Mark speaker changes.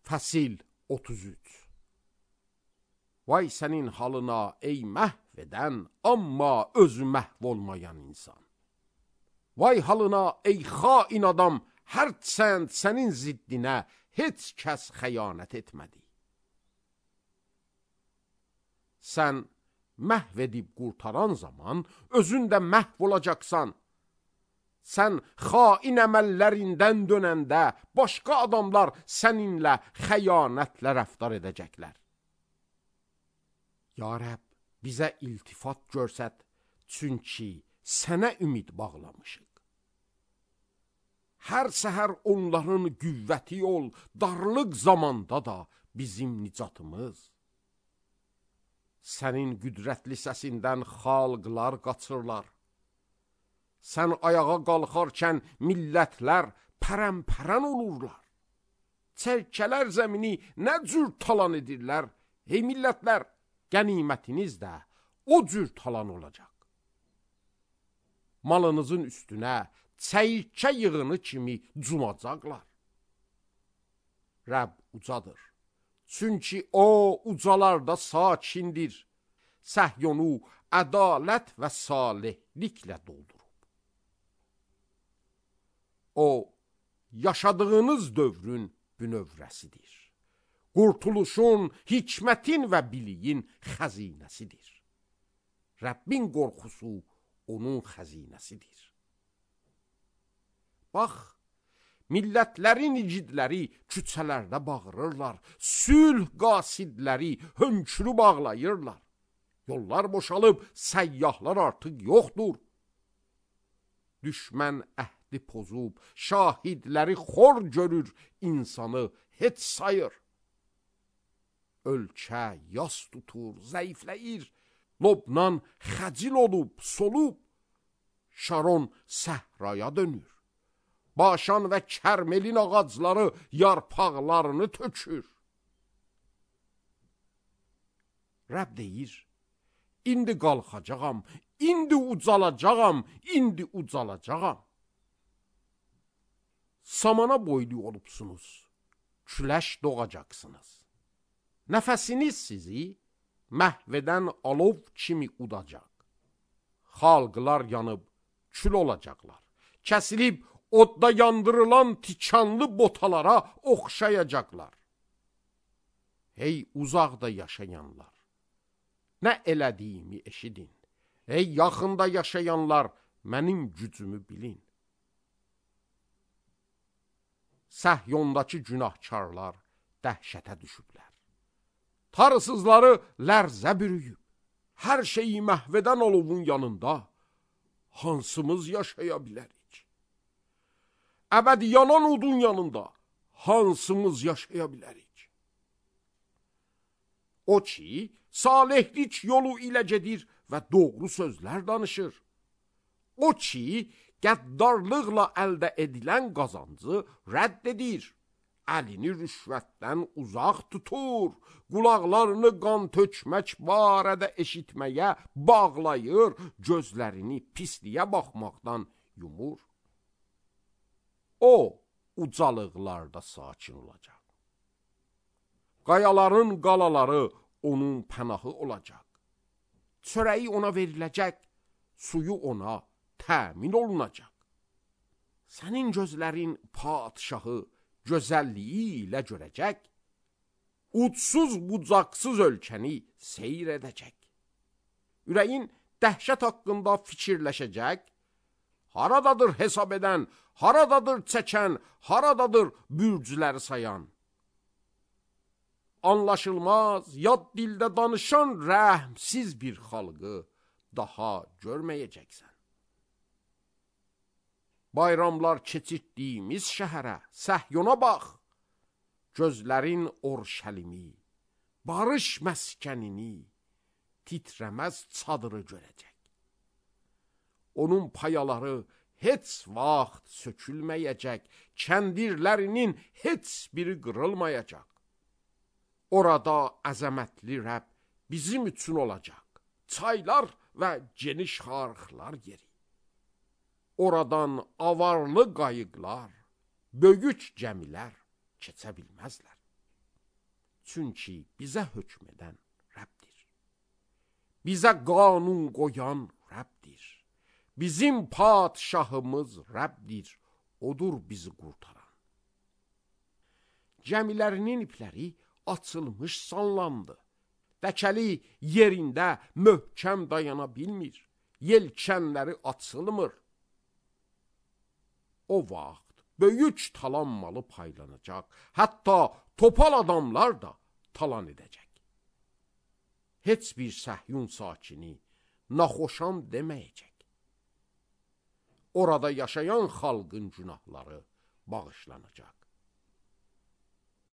Speaker 1: Fəsil 33. Vay sənin halına ey məhv edən, amma özü məhv olmayan insan. Vay halına ey xain adam, hərçənd sənin ziddinə heç kəs xəyanət etmədi. Sən məhv edib qurtaran zaman özün də məhv olacaqsan. Sən xain əməllərindən dönəndə başqa adamlar səninlə xəyanətlə rəftar edəcəklər. Ya Rəbb, bizə iltifat görsət, çünki sənə ümid bağlamışıq. Hər səhər onların qüvvəti ol, darlıq zamanda da bizim nicatımız. Sənin qüdrətli səsindən xalqlar qaçırlar. Sən ayağa qalxarkən millətlər pərəmpərən olurlar. Çərkələr zəmini nə cür talan edirlər? Ey millətlər, qənimətiniz də o cür talan olacaq. Malınızın üstünə çəyirkə yığını kimi cumacaqlar. Rəbb ucadır, çünki o ucalarda sakindir. Səhyonu ədalət və salihliklə doldurur. O, yaşadığınız dövrün bünövrəsidir. Qurtuluşun, hikmətin və biliyin xəzinəsidir. Rəbbin qorxusu onun xəzinəsidir. Bax, millətlərin igidləri küçələrdə bağırırlar, sülh qasidləri hönkürü bağlayırlar. Yollar boşalıb, səyyahlar artıq yoxdur. Düşmən əhdi pozub, şahidləri xor görür, insanı heç sayır. Ölkə yas tutur, zəifləyir, Lobnan xəcil olub, solub, Şaron səhraya dönür. Başan və Kərmelin ağacları yarpaqlarını tökür. Rəbb deyir, indi qalxacağam, indi ucalacağam, indi ucalacağam. Samana boylu olubsunuz, küləş doğacaqsınız. Nəfəsiniz sizi məhvədən alov kimi udacaq. Xalqlar yanıb kül olacaqlar. Kəsilib odda yandırılan tikanlı botalara oxşayacaqlar. Ey uzaqda yaşayanlar, nə elədiyimi eşidin. Ey yaxında yaşayanlar, mənim gücümü bilin. Səhyondakı günahkarlar dəhşətə düşüblər. Tarısızları lərzə bürüyüb. Hər şeyi məhvədən olovun yanında hansımız yaşaya bilərik? Əbədi yanan odun yanında hansımız yaşaya bilərik? O ki, salihlik yolu ilə gedir və doğru sözlər danışır. O ki, qəddarlıqla əldə edilən qazancı rədd edir. Əlini rüşvətdən uzaq tutur, qulaqlarını qan tökmək barədə eşitməyə bağlayır, gözlərini pisliyə baxmaqdan yumur. O, ucalıqlarda sakin olacaq. Qayaların qalaları onun pənahı olacaq. Çörəyi ona veriləcək, suyu ona təmin olunacaq. Sənin gözlərin padişahı gözəlliyi ilə görəcək, ucsuz bucaqsız ölkəni seyr edəcək. Ürəyin dəhşət haqqında fikirləşəcək, haradadır hesab edən, haradadır çəkən, haradadır bürcləri sayan. Anlaşılmaz, yad dildə danışan rəhmsiz bir xalqı daha görməyəcəksən. Bayramlar keçirdiyimiz şəhərə, Səhyona bax. Gözlərin Orşəlimi, barış məskənini, titrəməz çadırı görəcək. Onun payaları heç vaxt sökülməyəcək, kəndirlərinin heç biri qırılmayacaq. Orada əzəmətli Rəbb bizim üçün olacaq, çaylar və geniş xarıqlar yeri. Oradan avarlı qayıqlar, böyük gəmilər keçə bilməzlər. Çünki bizə hökm edən Rəbdir. Bizə qanun qoyan Rəbdir. Bizim padşahımız Rəbdir. Odur bizi qurtaran. Gəmilərinin ipləri açılmış sallandı. Dəkəli yerində möhkəm dayana bilmir. Yelkənləri açılmır. O vaxt böyük talanmalı paylanacaq. Hətta topal adamlar da talan edəcək. Heç bir Səhyun sakini naxoşam deməyəcək. Orada yaşayan xalqın günahları bağışlanacaq.